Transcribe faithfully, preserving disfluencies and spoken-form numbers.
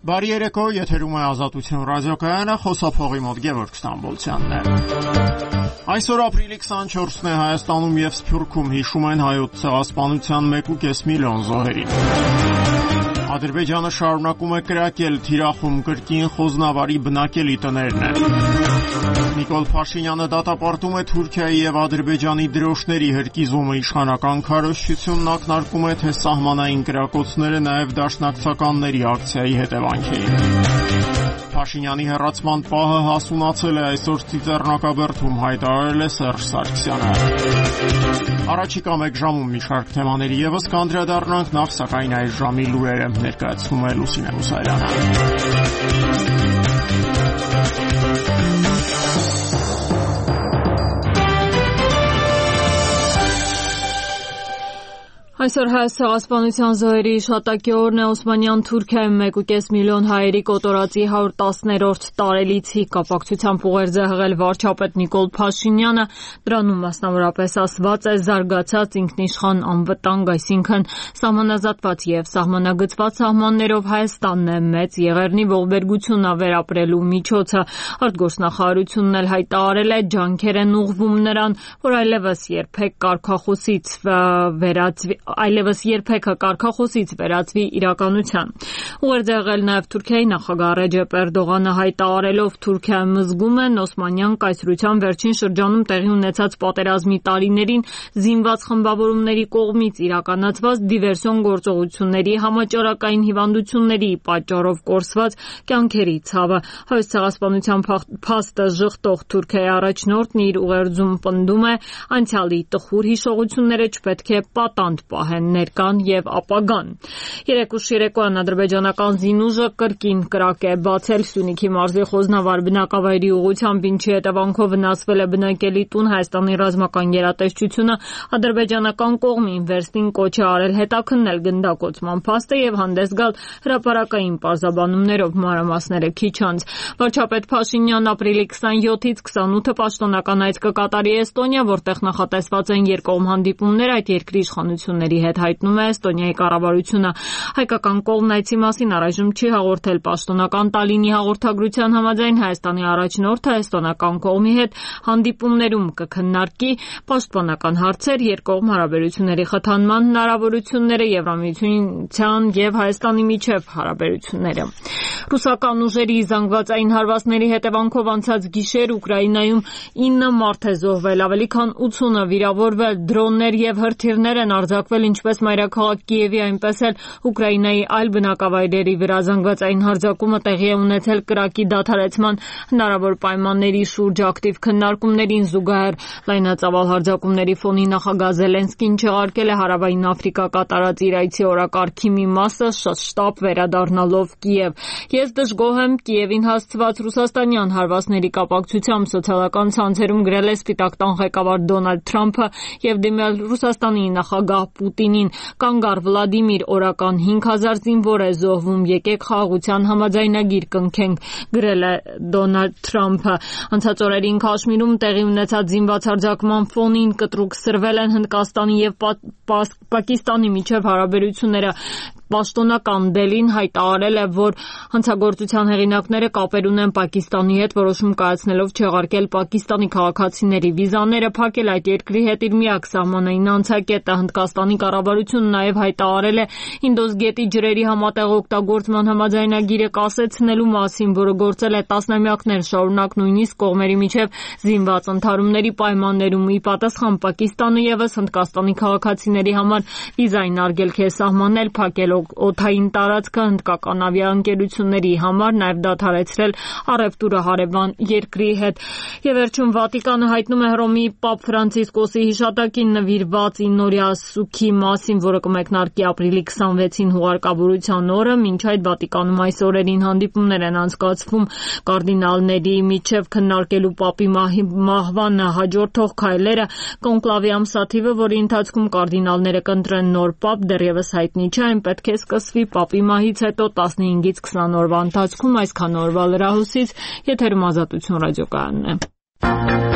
Բարի երեկո, եթերում է Ազատություն ռադիոկայանը, խոսափողի մոտ Գևորգ Ստամբոլցյանն է։ Այսօր ապրիլի քսանչորսն է, Հայաստանում եւ Սփյուռքում հիշում են հայոց ցեղասպանության մեկ ու կես միլիոն զոհերին։ Ադրբեջանը շարունակում է կրակել, թիրախում կրկին խոզնավարի բնակելի տներն են։ Նիկոլ Փաշինյանը դատապարտում է Թուրքիայի եւ Ադրբեջանի դրոշների հրկիզումը, իշխանական քարոզչությունն ակնարկում է, թե սահմանային կրակոցները նաեւ դաշնակցականների ակցիայի հետևանք էին։ Փաշինյանի հեռացման պահը հասունացել է, այսօր Ծիծեռնակաբերդում հայտարարել է Սերժ Սարգսյանը։ Առաջիկա մեկ ժամում մի շարք թեմաների եւս կանդրադառնանք, նախ սակայն այս ժամի լուրերը ներկայացնում է Լուսինե Մուսայելյանը։ Այսօր հայոց ցեղասպանության զոհերի հիշատակի օրն է, Օսմանյան Թուրքիայում մեկ ու կես միլիոն հայերի կոտորածի հարյուր տասներորդ տարելիցի կապակցությամբ ուղերձ է հղել վարչապետ Նիկոլ Փաշինյանը, դրանում մասնավորապես ասված է զարգացած ինքնիշխան անվտանգ, այսինքն սահմանազատված եւ սահմանագծված սահմաններով Հայաստանն է մեծ եղեռնի ողբերգությունը վերապրելու միջոցը։ Արտգործնախարարությունն էլ հայտարարել է, ջանքեր են ուղղվում նրան, որ այլևս երբեք կարգախոսից վերածվի այլևս երբեք կարգախոսից վերածվի իրականության։ Ուղերձ է եղել նաև Թուրքիայի նախագահ Ռեջեփ Էրդողանը, հայտարարելով Թուրքիայում զգում են Օսմանյան կայսրության վերջին շրջանում տեղի ունեցած պատերազմի տարիներին զինված խմբավորումների կողմից իրականացված դիվերսիոն գործողությունների, համաճարակային հիվանդությունների պատճառով կորսված կյանքերի ցավը։ Հայոց ցեղասպանության փաստը ժխտող Թուրքիայի առաջնորդն իր ուղերձում պնդում է, անցյալի տխուր հիշողությունները չպետք է պատանդ պահեն ներկան եւ ապագան։ Երեկուշ երեկոյան ադրբեջանական զինուժը կրկին կրակ է բացել Սյունիքի մարզի Խոզնավար բնակավայրի ուղղությամբ, ինչի հետևանքով վնասվել է բնակելի տուն։ Հայաստանի ռազմական գերատեսչությունը ադրբեջանական կողմին վերստին կոչ է արել հետաքննել գնդակոծման փաստը եւ հանդես գալ հրապարակային պարզաբանումներով, մանրամասները քիչ անց։ Վարչապետ Փաշինյանն ապրիլի քսանյոթից քսանութը պաշտոնական այց կկատարի Էստոնիա, որտեղ նախատեսված են երկկողմ հանդիպումներ այդ երկրի իշխանությունների հետ, հայտնում է Էստոնիայի կառավարությունը։ Հայկական կողմն այցի մասին առայժմ չի հաղորդել։ Պաշտոնական Տալինի հաղորդագրության համաձայն Հայաստանի առաջնորդը էստոնական կողմի հետ հանդիպումներում կքննարկի պաշտպանական հարցեր, երկկողմ հարաբերությունների խթանման հնարավորությունները, Եվրամիության եւ Հայաստանի միջև հարաբերությունները։ Ռուսական ուժերի զանգվածային հարվածների հետևանքով անցած գիշեր Ուկրաինայում ինը մարդ է զոհվել, ավելի քան ութունը վիրավորվել, դրոններ եւ հրթիռներ են արձակվել ինչպես մայրաքաղաք Կիևի, այնպես էլ Ուկրաինայի այլ բնակավայրերի վրա։ Զանգվածային հարձակումը տեղի է ունեցել կրակի դադարեցման հնարավոր պայմանների շուրջ ակտիվ քննարկումներին զուգահեռ։ Լայնածավալ հարձակումների ֆոնին նախագահ Զելենսկին չեղարկել է Հարավային Աֆրիկա կատարած իր այցի օրակարգի մի մասը, շտապ վերադառնալով Կիև։ Ես դժգոհ եմ Կիևին հասցված ռուսաստանյան հարվածների կապակցությամբ, սոցիալական ցանցերում գրել է Սպիտակ տան ղեկավար Դոնալդ Թրամփը եւ դիմել Ռուսաստանի նախագահ Պուտինին։ Կանգար Վլադիմիր, օրական հինգ հազար զինվոր է զոհվում, եկեք խաղաղության համաձայնագիր կնքենք, գրել է Դոնալդ Թրամփը։ Անցած օրերին Քաշմիրում տեղի ունեցած զինված հարձակման ֆոնին կտրուկ սրվել են Հնդկաստանի եւ Պակիստանի միջև հարաբերությունները։ Պաշտոնական Դելին հայտարարել է, որ հանցագործության հեղինակները կապեր ունեն Պակիստանի հետ, որոշում կայացնելով չեղարկել Պակիստանի քաղաքացիների վիզաները, փակել այդ երկրի հետ իր միակ սահմանային անցակետը։ Հնդկաստանի կառավարությունն նաև հայտարարել է Ինդոս գետի ջրերի համատեղ օգտագործման համաձայնագիրը կասեցնելու մասին, որը գործել է տասնամյակներ շարունակ նույնիսկ կողմերի միջև զինված ընդհարումների պայմաններում։ Ի պատասխան Պակիստանը ևս Հնդկաստանի քաղաքացիների համար վիզային արգելք է սահմանել, փակել օդային տարածքը հնդկական ավիաընկերությունների համար, նաև դադարեցրել առևտուրը հարևան երկրի հետ։ Եվ վերջում Վատիկանը հայտնում է Հռոմի Պապ Ֆրանցիսկոսի հիշատակին նվիրված իննօրյա սուգի մասին, որը կմեկնարկի ապրիլի քսանվեցին հուղարկավորության օրը։ Մինչ այդ Վատիկանում այս օրերին հանդիպումներ են անցկացվում կարդինալների միջև քննարկելու Պապի մահվան հաջորդող քայլերը։ Կոնկլավի ամսաթիվը, որի ընթացքում կարդինալները կընտրեն նոր Պապ, դեռևս հայտնի չէ, այն պետք է սկսվի Պապի մահից հետո տասնհինգից քսան օրվա ընթացքում։ Այսքան օրվա լրահոսից եթերում Ազատություն ռադիոկայանն է։